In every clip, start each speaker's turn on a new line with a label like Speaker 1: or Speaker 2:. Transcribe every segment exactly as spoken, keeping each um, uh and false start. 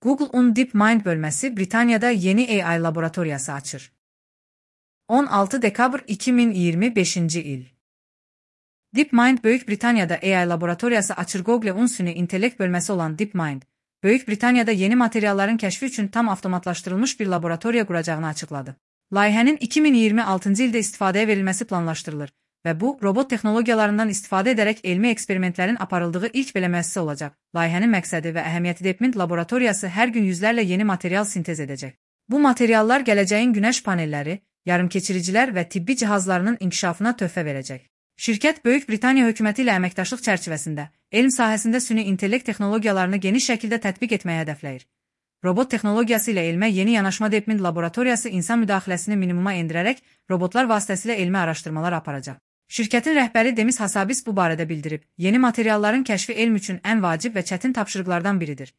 Speaker 1: Google'un DeepMind bölməsi Britaniyada yeni A I laboratoriyası açır. on altı dekabr iki min iyirmi beşinci il. DeepMind Böyük Britaniyada A I laboratoriyası açır. Google'un süni intellekt bölməsi olan DeepMind, Böyük Britaniyada yeni materialların kəşfi üçün tam avtomatlaşdırılmış bir laboratoriya quracağını açıqladı. Layihənin iki min iyirmi altıncı ildə istifadəyə verilməsi planlaşdırılır və bu, robot texnologiyalarından istifadə edərək elmi eksperimentlərin aparıldığı ilk belə müəssisə olacaq. Layihənin məqsədi və əhəmiyyəti DeepMind laboratoriyası hər gün yüzlərlə yeni material sintez edəcək. Bu materiallar gələcəyin günəş panelləri, yarımkeçiricilər və tibbi cihazlarının inkişafına töhfə verəcək. Şirkət Böyük Britaniya hökuməti ilə əməkdaşlıq çərçivəsində elm sahəsində süni intellekt texnologiyalarını geniş şəkildə tətbiq etməyə hədəfləyir. Robot texnologiyası ilə elmə yeni yanaşma DeepMind laboratoriyası insan müdaxiləsini minimuma endirərək robotlar vasitəsilə elmi araşdırmalar aparacaq. Şirkətin rəhbəri Demis Hassabis bu barədə bildirib, yeni materialların kəşfi elm üçün ən vacib və çətin tapşırıqlardan biridir.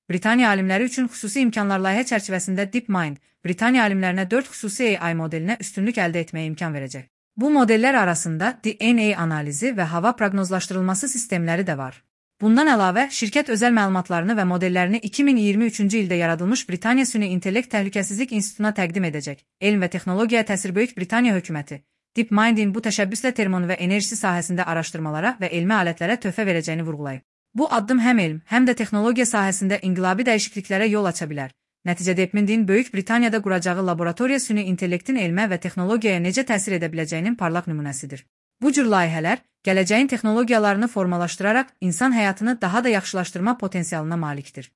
Speaker 1: Britaniya alimləri üçün xüsusi imkanlar layihə çərçivəsində DeepMind, Britaniya alimlərinə dörd xüsusi A I modelinə üstünlük əldə etməyə imkan verəcək. Bu modellər arasında D N A analizi və hava proqnozlaşdırılması sistemləri də var. Bundan əlavə, şirkət özəl məlumatlarını və modellərini iki min iyirmi üçüncü ildə yaradılmış Britaniya Süni İntellekt Təhlükəsizlik İnstitutuna təqdim edəcək. Elm və texnologiyaya təsir Böyük Britaniya hökuməti, DeepMind'in bu təşəbbüslə termon və enerjisi sahəsində araşdırmalara və elmi alətlərə töhfə verəcəyini vurğulayıb. Bu addım həm elm, həm də texnologiya sahəsində inqilabi dəyişikliklərə yol aça bilər. Nəticədə DeepMind'in Böyük Britaniyada quracağı laboratoriya süni intellektin elmə və texnologiyaya necə təsir edə biləcəyinin parlaq nümunəsidir. Bu cür layihələr, gələcəyin texnologiyalarını formalaşdıraraq insan həyatını daha da yaxşılaşdırma potensialına malikdir.